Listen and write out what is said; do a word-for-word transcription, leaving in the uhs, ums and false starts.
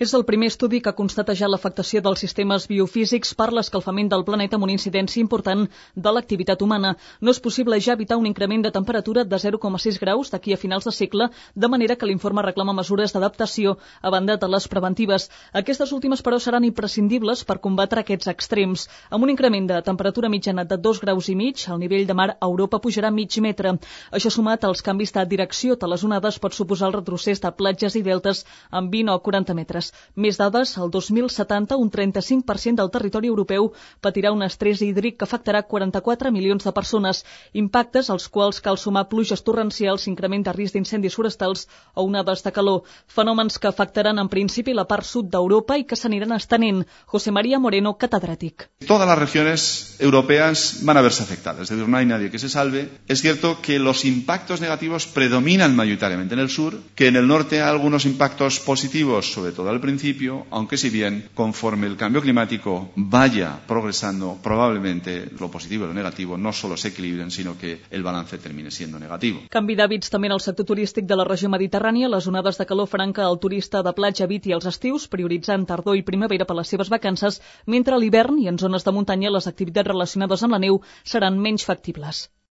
És el primer estudi que constata ja l'afectació dels sistemes biofísics per l'escalfament del planeta amb una incidència important de l'activitat humana. No és possible ja evitar un increment de temperatura de zero coma sis graus d'aquí a finals de segle, de manera que l'informe reclama mesures d'adaptació a banda de les preventives. Aquestes últimes, però, seran imprescindibles per combatre aquests extrems. Amb un increment de temperatura mitjana de dos graus i mig, el nivell de mar a Europa pujarà mig metre. Això sumat als canvis de direcció de les onades pot suposar el retrocés de platges i deltes amb vint o quaranta metres. Més dades, el dos mil setanta un trenta-cinc per cent del territori europeu patirà un estrès hídric que afectarà quaranta-quatre milions de persones, impactes als quals cal sumar pluges torrencials, increment de risc d'incendis forestals o onades de calor, fenòmens que afectaran en principi la part sud d'Europa i que s'aniran estenent. José María Moreno, catedràtic. Todas las regiones europeas van a verse afectadas, es decir, no hay nadie que se salve. Es cierto que los impactos negativos predominan mayoritariamente en el sur, que en el norte hay algunos impactos positivos, sobre todo al principio, aunque si bien conforme el cambio climático vaya progresando, probablemente lo positivo y lo negativo no solo se equilibren, sino que el balance termine siendo negativo. Canvi d'hàbits també en el sector turístic de la regió mediterrània. Les onades de calor faran que el turista de platja eviti els estius, prioritzant tardor i primavera per les seves vacances, mentre a l'hivern i en zones de muntanya les activitats relacionades amb la neu seran menys factibles.